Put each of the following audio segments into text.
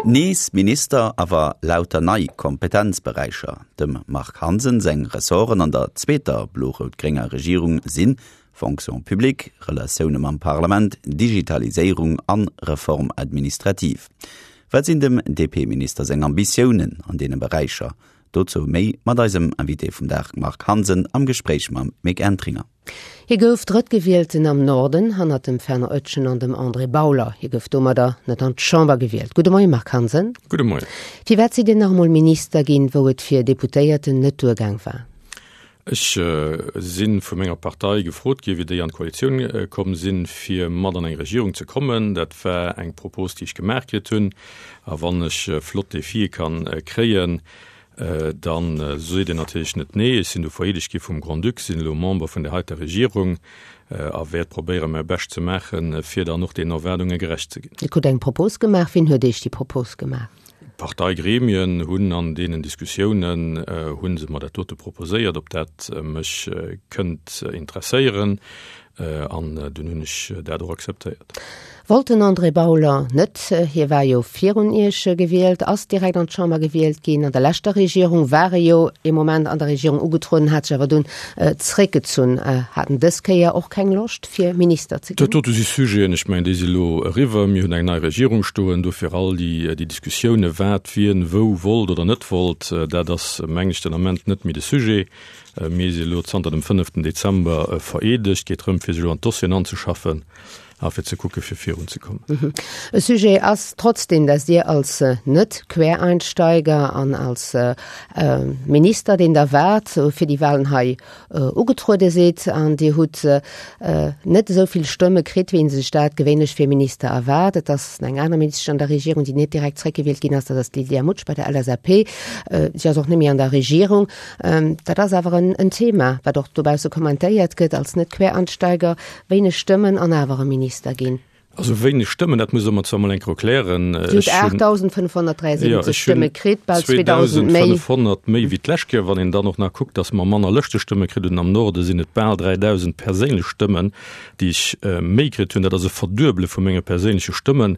Nees Minister, awer lauter nei Kompetenzberäicher. Dem Marc Hansen seng Ressorten an der zweeter blo-rout-grénger Regierung sinn, Fonction publique, Relatioune mam Parlament, Digitaliséierung an Reforme administrative. Wat sinn dem DP-Minister seng Ambitiounen an deene Beräicher? Dozou méi mat eisem Invité vum Dag Marc Hansen am Gespréich mam Mick Entringer. Hie gouf Drëttgewielten am Norden, hannert dem Fernand Oetjen an dem André Bauler. Hie gouf domadder net an d'Chamber gewielt. Gudde Moie Marc Hansen. Gudde Moien. Firwat sidd Dir nach emol Minister ginn, wou et fir Deputéierten net duergaang war? Ech si vu menger Partei gefrot ginn, wéi déi an d'Koalitioun komm sinn, fir mat an eng Regierung ze kommen. Dat war eng Propos, déi ech gemaach kritt hunn. A wann ech flott Defie kann kréien, da seet een natierlech net nee. Ech sinn du vereedegt gi vum Grand-Duc, sinn elo Member vun där heiter Regierung a wäert probéieren, mäi Bescht ze maachen, fir dann och deenen Erwaardunge gerecht ze ginn. Dir krut eng Propos gemaach. Wien huet Iech déi Propos gemaach? D'Parteigremien hunn an deenen Diskussiounen hu se mer dat dote proposéiert, ob dat mech kënnt interesséieren, an dunn hunn ech dat och akzeptéiert. Wollt den André Bauler net. Hie war jo virun Iech gewielt, ass direkt an d'Chamber gewielt ginn. An der leschter Regierung war e jo ee Moment an der Regierung ugetrueden, hat sech awer dunn zréckgezunn. Hat en dës Kéier och keng Loscht fir Minister ze ginn? Dat dote si Sujeten, ech mengen, déi si elo eriwwer. Mir hunn eng nei Regierung stoen. Dofir all déi Diskussiounen, wat wien wou wollt oder net wollt, dat ass, mengen ech, den Ament net méi de Sujet. Mir si elo zanter dem fënneften Dezember vereedegt. Et geet drëm, fir sech elo an d'Dossieren anzeschaffen a fir ze kucke fir virunzekommen. E Sujet ass trotzdeem, datt Dir als Net-Quereinsteiger an als Minister, deen Der waart, fir déi Wahlen hei ugetruede sidd an Dir hutt net esou vill Stëmme kritt, wéi ee sech dat gewéinlech fir e Minister erwaart. Et ass eng aner Ministesch an der Regierung, déi net direkt zréckgewielt ginn ass, dat ass d'Lydia Mutsch bei der LSAP. Si ass och net méi an der Regierung. Dat ass awer en Thema, wat och dobausse kommentéiert gëtt, als Net-Quereinsteiger wéineg Stëmmen an awer e Minister ginn. Also wéineg Stëmmen, dat muss Der mer zwar mol eng Kéier erklären. Dir hutt 8.573 Stëmme kritt, bal 2.000 méi. 2.500 méi wéi d'lescht Kéier. Wann een dann och nach kuckt, datt mer manner Lëschtestëmme kritt hunn, am Norde sinn et bal 3.000 perséinlech Stëmmen, déi ech méi kritt hunn. Dat ass e Verduebele vu menge perséinleche Stëmmen.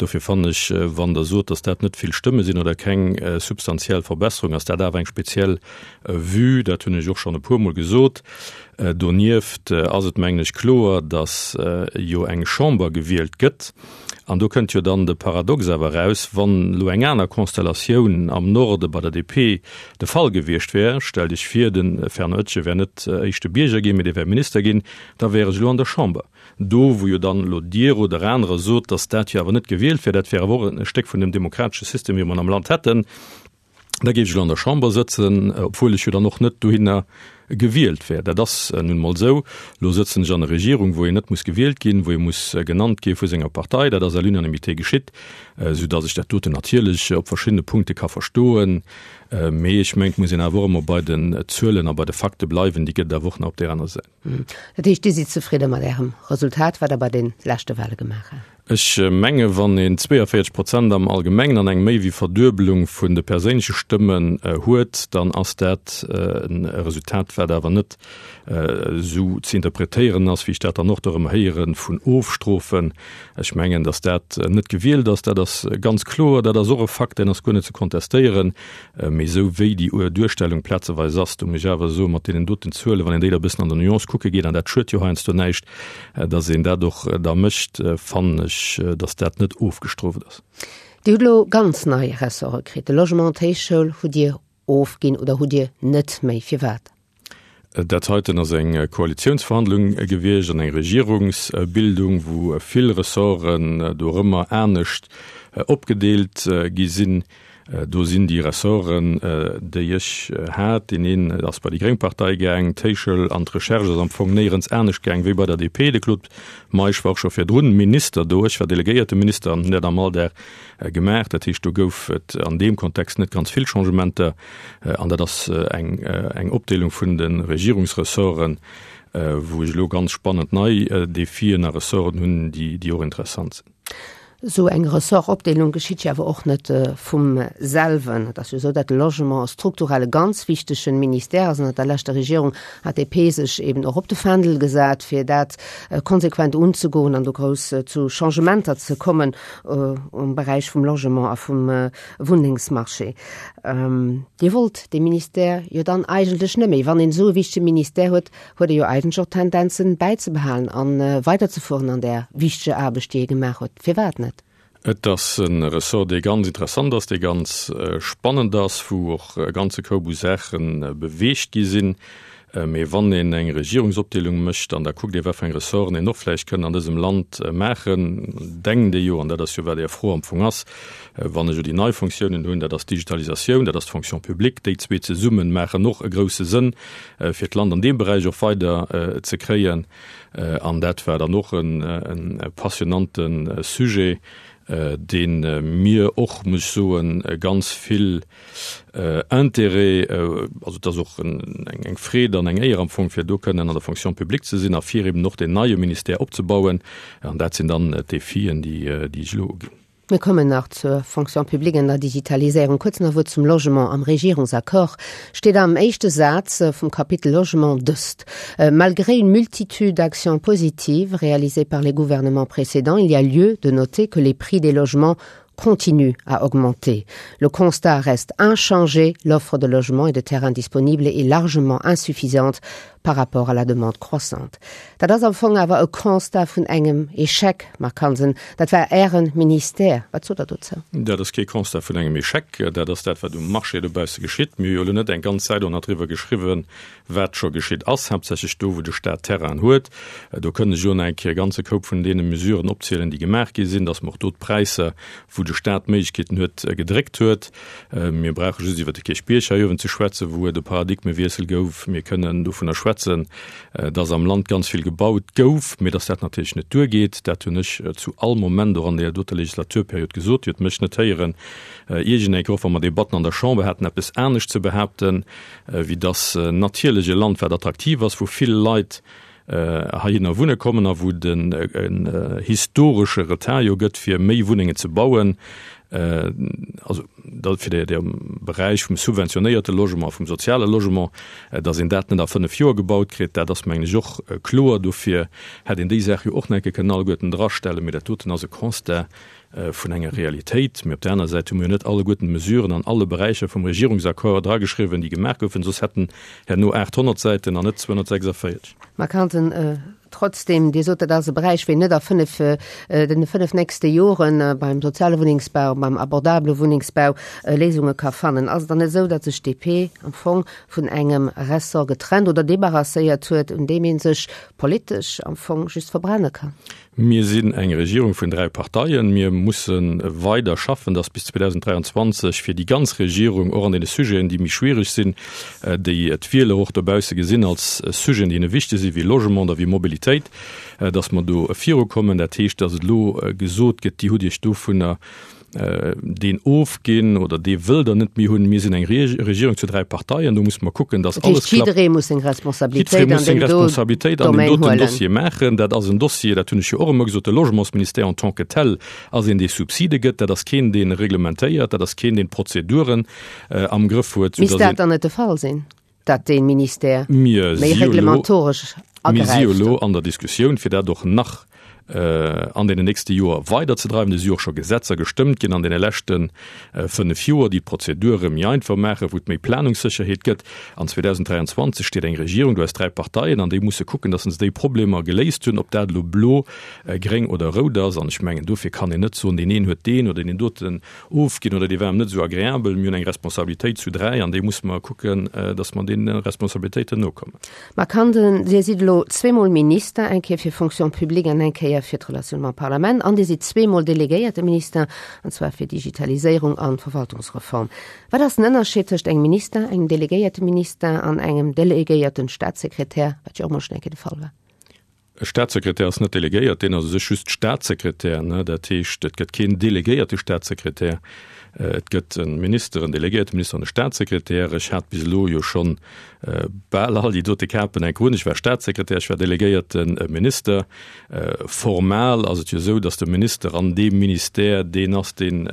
Dofir fannen ech, wann Der sot, datt dat net vill Stëmme sinn oder keng substantiell Verbesserung, ass dat awer eng speziell Vue. Dat hunn ech och schonn e puermol gesot. Donieft ass et, mengen ech, kloer, datt jo eng Chamber gewielt gëtt. An do kënnt jo dann de Paradox awer eraus, wann elo eng aner Konstellatioun am Norde bei der DP de Fall gewiescht wär, stellt Iech vir, de Fernand Oetjen wär net éischte Bierger ginn, mee dee wär Minister ginn, da wär ech elo an der Chamber. Do, wou jo dann elo Dir oder anerer sot, datt dat jo awer net gewielt wär, dat wär awer och e Stéck vun dem demokratesche System, wéi mer en am Land hätten, Da géif ech elo an der Chamber sëtzen, obwuel ech jo dann och net dohinner gewielt wär. Dat ass nun emol esou. Elo sëtzen ech an der Regierung, wou een net muss gewielt ginn, wou ee muss genannt gi vu senger Partei. Dat ass à l'unanimité geschitt, soudass ech dat doten natierlech op verschiddene Punkte ka verstoen. Mee ech mengen, et muss een awer och ëmmer bei den Zuelen a bei de Fakte bleiwen. Déi gëtt et awer och nach op där aner Säit. Dat heescht, Dir sidd zefridde mat Ärem Resultat, wat Der bei de leschte Wahle gemaach hat? Ech menge wann een 42 Prozent am Allgemengen an eng méi wéi Verduebelung vun de perséinleche Stëmmen huet, dann ass dat e Resultat, wat awer net esou ze interpretéieren ass, wéi ech dat dann och do erëm héiere vun Ofstrofen. Ech mengen, datt dat net gewielt ass, dat ass ganz kloer, dat ass och e Fakt, deen ass guer net ze kontestéieren. Mee esou wéi déi Duerstellung plazeweis ass, do muss ech awer soen, mat deenen doten Zuelen, wann een déi da e bëssen an der Nuance kucke geet, an dat schued jo heiansdo näischt, datt een dat och da mécht, fannen ech, datt dat net ofgestrooft ass. Dir hutt elo ganz nei Ressorte kritt, de Logement, d'Héichschoul hutt Dir ofginn oder hutt Dir net méi. Firwat? Dat heiten ass eng Koalitiounsverhandlung gewiescht an eng Regierungsbildung, wou vill Ressorten dorëmmer anescht opgedeelt gi sinn. Do sinn déi Ressorten, déi ech hat, deen een ass bei déi gréng Partei gaang, d'Héichschoul an d'Recherche ass am Fong néierens anescht gaang wéi bei der DP. De Claude Meisch war och scho virdrun Minister do, ech war delegéierte Minister an hunn dat am Alldag gemaach. Dat heescht, do gouf et an deem Kontext net ganz vill Changementer. An dat ass eng Opdeelung vun de Regierungsressorten, wou ech elo ganz spannend nei Defien a Ressorten hunn, déi och interessant sinn. Esou eng Ressortopdeelung geschitt jo awer och net vum selwen. Et ass jo esou, datt de Logement strukturell e ganz wichtegen Ministère ass. Ënnert der leschter Regierung hat d'DP sech eben och op de Fändel gesat, fir dat konsequent unzegoen an do grouss zu Changementer ze kommen um Beräich vum Logement a vum Wunnengsmarché. Dir wollt dee Ministère jo dann eigentlech net méi. Wann een esou e wichtege Ministère huet, huet e jo eigentlech och d'Tendenz, en bäizebehalen a weiderzefueren an där wichteger Aarbecht, déi e gemaach huet. Firwat net? Et ass e Ressort, dee ganz interessant ass, dee ganz spannend ass, wou och e ganze Koup u Saache beweegt gi sinn. Mee wann een eng Regierungsopdeelung mécht an da kuckt ee wat fir eng Ressorten een och vläicht kënnt an dësem Land maachen, denkt ee jo, an dat ass jo wat Är Fro am Fong ass, wann ech elo déi nei Fonctiounen hunn, dat ass d'Digitalisatioun, dat ass d'Fonction publique, déi zwee zesumme maachen och e grouse Sënn, fir d'Land an deem Beräich och weider ze kréien. An dat war dann och e passionante Sujet, dee mir och, muss ech soen, ganz vill Intérêt, also et ass och eng Freed an eng Éier am Fong, fir do kënnen an der Fonction publique ze sinn a fir eben och deen neie Ministère opzebauen. An dat sinn dann d'Defien, déi ech elo uginn. Mir kommen nach zur Fonction publique an der Digitaliséierung. Kuerz nach e Wuert zum Logement. Am Regierungsaccord steet am éischte Saz vum Kapitel Logement dëst, Malgré une multitude d'actions positives réalisées par les gouvernements précédents, il y a lieu de noter que les prix des logements continuent à augmenter. Le constat reste inchangé, l'offre de logements et de terrains disponibles est largement insuffisante par rapport à la demande croissante. Dat ass am Fong awer e Constat vun engem Échec, Marc Hansen. Dat war Äre Ministère. Wat sot Der dozou? Dat ass kee Constat vun engem Échec. Dat ass dat, wat um Marché dobausse geschitt. Mir hu jo elo net eng ganz Säit och nach driwwer geschriwwen, wat scho geschitt ass, haaptsächlech do, wou de Stat Terrainen huet. Do kënnt ech elo nach eng Kéier e ganze Koup vun deene Mesuren opzielen, déi gemaach gi sinn, dass mer och do d'Präisser, wou de Stat Méiglechkeeten huet, gedréckt huet. Mir brauche just iwwer de Kierchbierg hei uewen ze schwätzen, wou et e Paradigmewiessel gouf. Mir kënnen dovunner schwätzen, dass am Land ganz vill gebaut gouf, mee dass dat natierlech net duergeet. Dat hunn ech zu all Moment och an deeër doter Legislaturperiod gesot. Dir hutt mech net héieren, iergendeng Kéier, och wa mer Debatten an der Chamber haten, eppes anescht ze behaapten, wéi dass natierlech e Land, wat attraktiv ass, wou vill Leit heihinner wunne kommen a wou et en historesche Retard jo gëtt, fir méi Wunnengen ze bauen, also dat fir de Beräich vum subventionéierte Logement, vum soziale Logement, datt een dat net a fënnf Joer gebaut kritt, dat ass mengen ech och kloer. Dofir hätt een déi Saach jo och nach eng Kéier kënnen alleguerten drastellen. Mee dat doten ass e Constat vun enger Realitéit. Mee op där aner Säit hu mir jo net alleguerten d'Mesuren an alle Beräicher vum Regierungsaccord drageschriwwen, déi gemaach goufen, soss hätten herno 800 Säiten an net 246. Marc Hansen, Trotzdem, Dir sot, dat ass e Beräich, ween net a fënnf, den fënnf nächste Jore beim soziale Wunnengsbau, beim abordabele Wunnengsbau Léisunge ka fannen. Ass et dann net esou, datt sech d'DP am Fong vun engem Ressort getrennt oder débarrasséiert huet, un deem ee sech politesch am Fong just verbrenne kann? Mir sinn eng Regierung vun dräi Parteien. Mir musse weider schaffen, datt bis 2023 fir déi ganz Regierung och an deene Sujeten, déi méi schwiereg sinn, déi d'Wieler och dobausse gesinn als Sujeten, déi hinne wichteg sinn, wéi Logement oder wéi Mobilitéit, datt mer do virukommen. Dat heescht, datt et elo gesot gëtt, Dir hutt Iech dovunner deen ofginn oder dee wëll der net méi hunn. Mir sinn eng Regierung zu dräi Parteien, do musse mer kucken, datt alles klappt. Jidderee muss seng Responsabilitéit an deem Responsabilitéit an deem doten Dossier maachen. Dat ass en Dossier, dat hunn ech jo och ëmmer gesot, de Logementsministère en tant que tel ass een, dee Subside gëtt. Dat ass keen, dee reglementéiert, dat ass keen, deen d'Prozeduren am Grëff huet. Misst dat dann net de Fall sinn? dat dee Ministère méi reglementoresch agräift. Mir si jo elo an der Diskussioun, fir dat och nach an deenen nächste Joer weiderzedreiwen. Et si jo och scho Gesetzer gestëmmt ginn an deene leschte fënnef Joer, déi d'Prozedure méi einfach maachen, wou et méi Planungssécherheet gëtt. An 2023 steet eng Regierung do aus dräi Parteien an déi musse kucken, datt se déi Problemer geléist hunn, ob dat elo blo, gréng oder rout ass. An ech mengen, dofir kann een net soen, deen een huet deen oder deen doten Ofginn oder déi waren net esou agreabel. Mir hunn eng Responsabilitéit zu 3 an déi musse mer kucken, datt mer deene Responsabilitéiten nokommen. Marc Hansen, Dir sidd elo zweemol Minister, eng Kéier fir Fonction publique an eng Kéier fir d'Relatioun mam Parlament an Dir sidd zweemol delegéierte Minister, an zwar fir Digitaliséierung an Verwaltungsreform. Wat ass den Ënnerscheed tëscht engem Minister, engem delegéierte Minister an engem delegéierten Staatssekretär, wat jo och mol schonn eng Kéier de Fall war? E Staatssekretär ass net delegéiert, deen ass u sech just Staatssekretär. Dat heescht, et gëtt keen delegéierte Staatssekretär. Et gëtt e Minister, en delegéierte Minister an e Staatssekretär. Ech hat bis elo jo schonn bal all déi dote Kapen enk un. Ech war Staatssekretär, ech war delegéierte Minister. Formal ass et jo esou, datt de Minister an deem Ministère deen ass, deen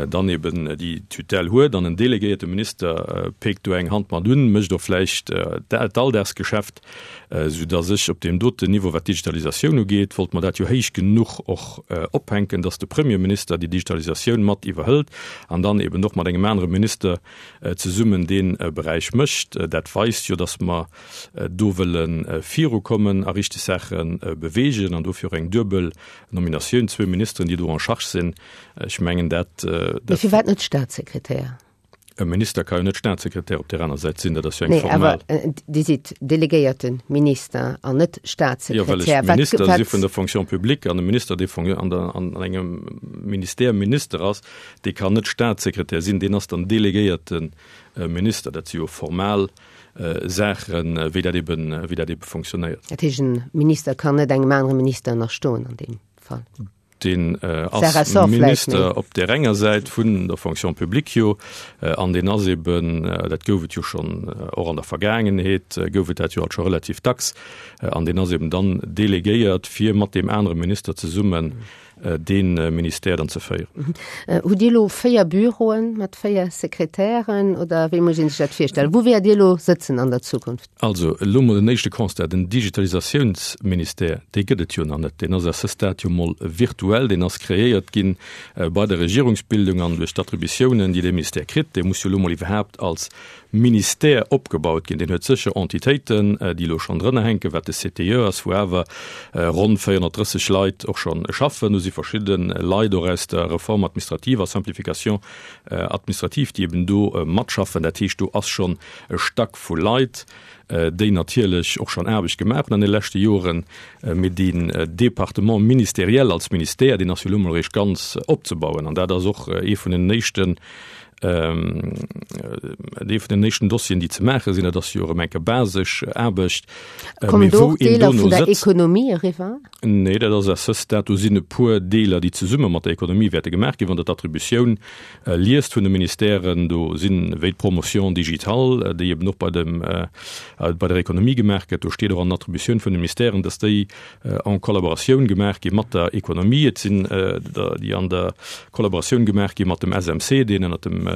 dann eben déi Tutelle huet an en delegéierte Minister péckt do eng Hand mat un, mécht och vläicht d'Alldagsgeschäft, soudass ech op deem doten Niveau, wat d'Digitalisatioun ugeet, wollte mer dat jo héich genuch och ophänken, dass de Premierminister déi Digitalisatioun mat iwwerhëlt an dann eben och mat engem anere Minister zesummen dee Beräich mécht. Dat weist jo, dass mer do wëlle virukommen a richteg Saache beweegen an dofir och eng duebel Nominatioun, zwou Ministeren, déi do en charge sinn. Ech mengen dat. Mee firwat net Staatssekretär? E Minister ka jo net Staatssekretär op där aner Säit sinn, dat ass jo eng formal. Nee, awer Dir sidd delegéierte Minister an net Staatssekretär. Jo, well ech Minister si vun der Fonction publique an e Minister, dee an der, an engem Ministère Minister ass, dee kann net Staatssekretär sinn, deen ass dann delegéierte Minister. Dat si jo formal Saachen, wéi dat eben, wéi dat ebe fonctionnéiert. Dat heescht, e Minister kann net engem anere Minister ënnerstoen an deem Fall? Deen ass Minister op där enger Säit vun der Fonction publique jo, an deen ass eben, dat gouf et jo schonn och an der Vergaangenheet, gouf et dat jo alt scho relativ dacks, an deen ass eben dann delegéiert, fir mat deem anere Minister zesummen dee Ministère dann ze féieren. Hutt Dir elo 4 Büroen mat 4 Sekretären oder wéi muss ee sech dat virstellen? Wou wäert Dir elo sëtzen an der Zukunft? Also, elo mol en éischte Constat, Den Digitalisatiounsministère, dee gëtt et jo nach net. Deen ass à ce stade jo mol virtuell. Deen ass kreéiert gi bei der Regierungsbildung an duerch d'Attributiounen, déi dee Ministère kritt. Dee muss jo elo mol iwwerhaapt als Ministère opgebaut ginn. Deen huet sécher Entitéiten, déi elo schonn drënner hänken, wat de CTE ass, wou awer ronn 430 Leit och schonn schaffen. Do si verschidde Leit och aus der Réforme administrative a Simplification administrative, déi eben do matschaffen. Dat heescht, do ass schonn e Stack vu Leit, déi natierlech och schonn Aarbecht gemaach hunn an de leschte Joren, mee deen Département ministériel als Ministère, deen ass jo elo emol eréischt ganz opzebauen. An dat ass och ee vun den éischten, ee vun den éischten Dossieren, déi ze maache sinn. Dat ass jo erëm eng basesch Aarbecht. Kommen do och Deeler vun der Ekonomie eriwwer? Nee, dat ass à ce stade, do sinn e puer Deeler, déi zesumme mat der Ekonomie wäerte gemaach ginn. Wann Der d'Attributioun liest vun de Ministèren, do sinn, wéi d'Promotion digitale, déi eben och bei dem, bei der Ekonomie gemaach gëtt, do steet och an den Attributioun vun de Ministèren, dass déi en Collaboratioun gemaach gi mat der Ekonomie. Et sinn der, déi an der Collaboratioun gemaach gi mat dem SMC, deen ënnert dem,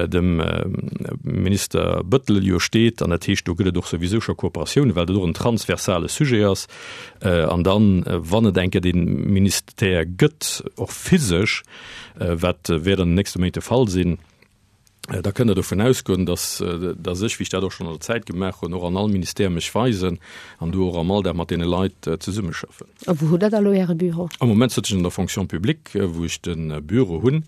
dem Minister Bettel jo steet. An dat heescht, do gëtt et och souwisou scho Kooperatiounen, well dat och en transversale Sujet ass. An dann, wann et eng Kéier dee Ministère gëtt, och physesch, wat wäert an den nächste Méint de Fall sinn, da kënnt Der dovun ausgoen, dass, dass ech, wéi ech dat och schonn an der Zäit gemaach hunn, och an all Ministère mech weisen an do och am Alldag mat deene Leit zesummeschaffen. A wou hutt Der da elo Äre Büro? Am Moment sëtz ech an der Fonction publique, wou ech de Büro hunn.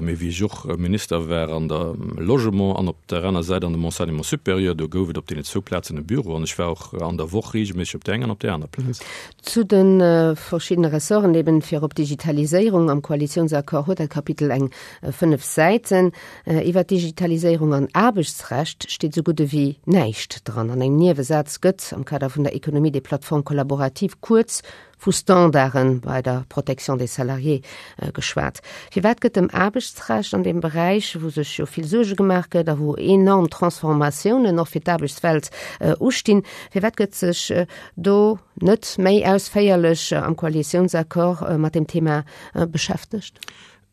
Mee wéi ech och Minister war an der Logement an op der aner Säit an dem Enseignement supérieur, do gouf et op deenen zwou Plazen e Büro an ech war och an der Woch reegelméisseg op där enger an op där aner Plaz. Zu de verschiddene Ressorten, eben fir op d'Digitaliséierung, am Koalitiounsaccord huet dat Kapitel eng 5 Säiten. Iwwer d'Digitaliséierung an Aarbechtsrecht steet esou gutt ewéi näischt dran. An engem Niewesaz gëtt am Kader vun der Économie des plateformes collaboratives kuerz vu Standarde bei der Protection des salariés geschwat. Firwat gëtt dem Aarbechtsrecht an deem Beräich, wou sech jo vill Suerge gemaach gëtt a wou enorm Transformatiounen och fir d'Aarbechtswelt ustinn, firwat gëtt sech do net méi ausféierlech am Koalitiounsaccord mat deem Thema beschäftegt?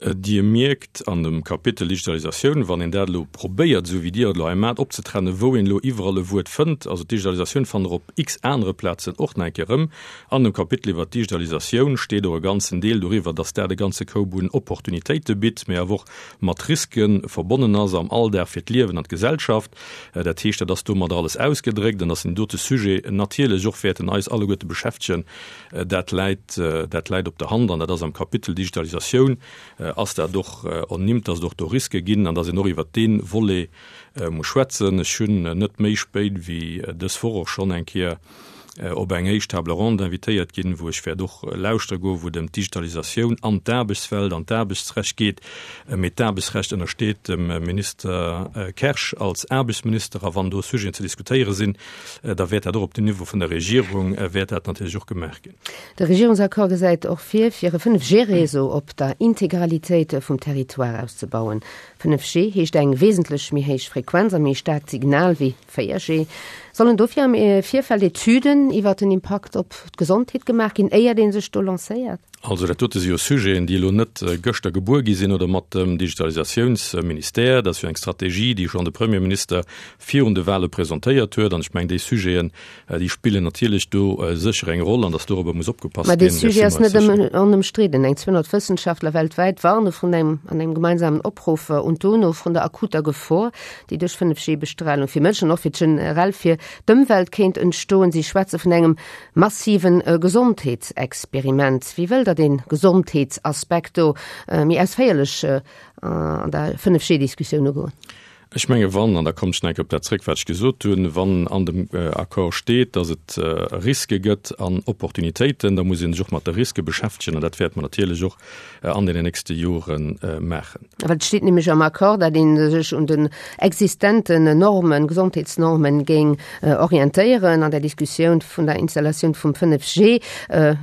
Dir mierkt an dem Kapitel Digitalisatioun, wann een dat elo probéiert, esou wéi Dir et elo hei maacht, opzetrennen, wou een elo iwwerall e Wuert fënnt, also d'Digitalisatioun fannt Der op x anere Plazen och nach eng Kéier erëm. An dem Kapitel iwwert d'Digitalisatioun steet och e ganzen Deel doriwwer, dass dat e ganze Koup un Opportunitéite bitt, mee awer och mat Riske verbonnen ass am Alldag fir d'Liewen an d'Gesellschaft. Dat heescht, dat ass domadder alles ausgedréckt an dass deen dote Sujet natierlech och wäerten eis alleguerte beschäftegen, Dat läit, dat läit op der Hand an dat ass am Kapitel Digitalisatioun ass dat och ernimmt, dass et och do Riske ginn an dass een och iwwert dee Volet muss schwätzen. Ech hunn net méi spéit wéi dës Woch och schonn eng Kéier. op eng éischt Table ronde invitéiert ginn, wou ech wäert och lauschtere goen, wou et ëm d'Digitalisatioun an d'Aarbechtswelt an d'Aarbechtsrecht geet. Mee d'Aarbechtsrecht ënnersteet dem Minister Kersch als Aarbechtsminister a wann do Sujeten ze diskutéiere sinn, da wäert dat och op dem Niveau vun der Regierung wäert dat natierlech och gemaach ginn. De Regierungsaccord gesäit och vir, fir e 5G-Réseau op der Integralitéit vum Territoire auszebauen. 5G heescht eng wesentlech méi héich Frequenz a méi staarkt Signal wéi 4G. Sollen dofir am Virfeld Etüden iwwer den Impakt op d'Gesondheet gemaach ginn, éiert ee sech do lancéiert? Also dat dote si jo Sujeten, déi elo net gëschter gebuer gi sinn oder mat dem Digitalisatiounsministère. Dat ass jo eng Strategie, déi schonn de Premierminister virun de Wahle presentéiert huet. An ech mengen, déi Sujeten, déi spillen natierlech do sécher eng Roll an datt dorobber muss opgepasst ginn. Mä dee Sujet ass net onëmstridden. Eng 200 Wëssenschaftler weltwäit warne vrun engem an engem gemeinsamen Opruff un d'UNO vrun der akuter Gefor, déi duerch 5G-Bestralung fir Mënschen an och fir generell fir d'Ëmwelt kéint entstoen. Si schwätze vun engem massive Gesondheetsexperiment. Wéi wëllt Der dee Gesondheetsaspekt do méi ausféierlech an der 5G-Diskussioun ugoen? Ech menge wann, an da kommen ech nach eng Kéier op dat zréck, wat ech gesot hunn, wann an dem Accord steet, datt et Riske gëtt an Opportunitéiten, da muss ee sech och mat de Riske beschäftegen an dat wäerte mer natierlech och an deenen nächste Jore maachen. Well et steet nämlech am Accord, datt ee sech un den existenten Normen, Gesondheetsnormen géing orientéieren an der Diskussioun vun der Installatioun vum 5G.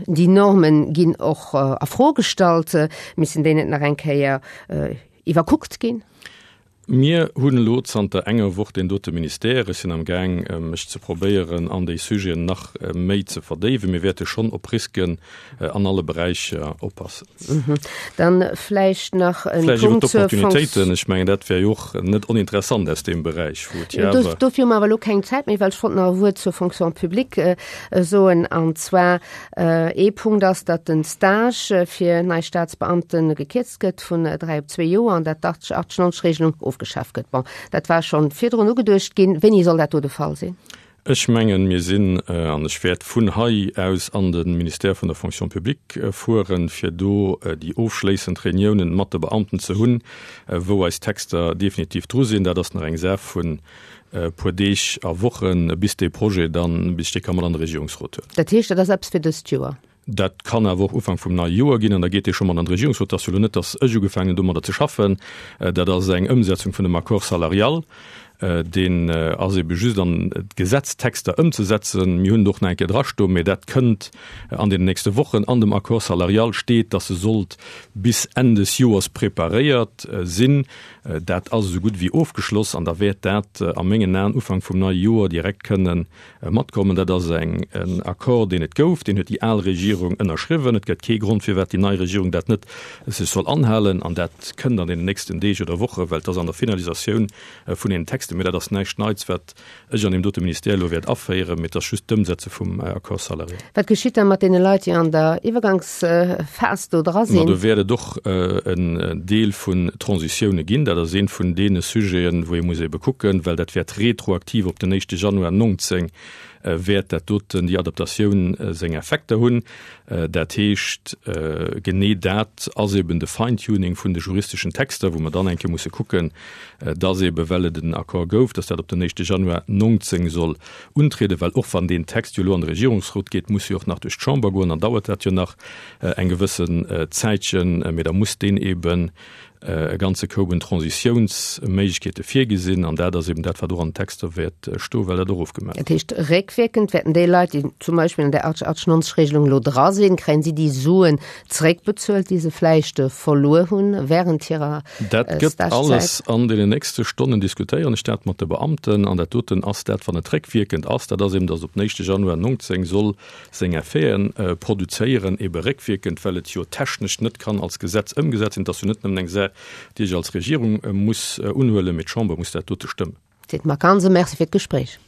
Déi Normen ginn och a Fro gestallt. Missen déi net nach eng Kéier iwwerkuckt ginn? Mir hunn elo zanter enger Woch deen dote Ministère. Ech sinn am Gaang, mech ze probéieren, an déi Sujeten nach méi ze verdéiwen. Mir wäerte schonn op Risken an alle Beräicher oppassen. Dann vläicht nach e Punkt zur Vläicht iwwer d'Opportunitéiten. Ech mengen, dat wär jo och net oninteressant aus deem Beräich, wou et jo awer. Dofir hu mer awer elo keng Zäit méi, well ech wollt nach e Wuert zur Fonction publique soen. An zwar ee Punkt ass, datt de Stage fir nei Staatsbeamte gekierzt gëtt vun 3 op 2 Joer an dat d'80, 80, 90 Regelung ofgeschaf gëtt. Bon, dat war schonn virdrun ugeduecht ginn. Wéini soll dat do de Fall sinn? Ech mengen, mir sinn, an ech wäert vun hei aus an de Ministère vun der Fonction publique fueren, fir do déi ofschléissend Reuniounen mat de Beamten ze hunn, wou eis Texter definitiv dru sinn. Dat ass nach eng Saach vun e puer Deeg a Wochen, bis dee Projet dann, bis ech dee ka mat an de Regierungsrot huelen. Dat heescht, dat ass eppes fir dëst Joer? Dat kann awer och Ufank vum neie Joer ginn an da geet dee scho mat an de Regierungsrot. Et ass jo elo net, datt ech ugefaangen hunn domadder ze schaffen. Dat ass eng Ëmsetzung vun dem Accord salarial. Deen ass ebe just an d'Gesetztexter ëmzesetzen. Mir hunn et och nach eng Kéier drastoen, mä dat kënnt an deenen nächste Wochen. An dem Accord salarial steet, datt e sollt bis Enn des Joers preparéiert sinn. Dat ass esou gutt wéi ofgeschloss an da wäert dat a mengen Aen Ufank vum neie Joer direkt kënnen Matkommen. Dat ass eng en Accord, deen et gouf, deen huet déi al Regierung ënnerschriwwen. Et gëtt kee Grond, firwat déi nei Regierung dat net sech soll anhalen. An dat kënnt an deenen nächsten Deeg oder Wochen, well et ass an der Finalisatioun vun deenen Texten. Mee dat ass näischt Neits, wat ech an deem dote Ministère elo wäert aféieren, mee et ass just d'Ëmsetze vum Accord salarial. Wat geschitt da mat deene Leit, déi an der Iwwergangsphas do dra sinn? Ma do wäert et och en Deel vun Transitioune ginn. Dat ass ee vun deene Sujeten, wou ee muss ebe kucken, well dat wäert retroaktiv op den éischte Januar 19 wäert dat doten, déi Adaptatioun seng Effekter hunn. Dat heescht, genee dat ass eben de Fine-Tuning vun de juristeschen Texter, wou mer dann eng Kéier musse kucken, dass ebe well et en Accord gouf, dass dat op den éischte Januar 19 soll untrieden, well och wann deen Text jo elo an de Regierungsrot geet, muss e jo och nach duerch d'Chamber goen, dann dauert dat jo nach eng gewëssen Zäitchen, mee da muss deen eben e ganze Koup un Transitiounsméiglechkeete virgesinn, an dat ass eben dat, wat och an den Texter wäert stoen, well dat och ofgemaach Dat heescht, réckwierkend wäerten déi Leit, déi zum Beispill an där 80-80-90-Regelung elo dra sinn, kréien si déi Suen zeréckbezuelt, déi se vläicht verluer hunn während hirer Dat gëtt alles an deenen nächste Stonnen diskutéieren ech dat mat de Beamten. An dat doten ass dat, wann et réckwierkend ass, dat ass eben, datt op den éischte Januar 19 soll seng Effeten produzéieren, ebe réckwierkend, well et jo technesch net kann als Gesetz ëmgesat sinn. Et ass jo net nëmmen eng Saach, déi ech als Regierung muss unhuelen, mee d'Chamber muss dat dote stëmmen. Seet Marc Hansen. Merci fir d'Gespréich.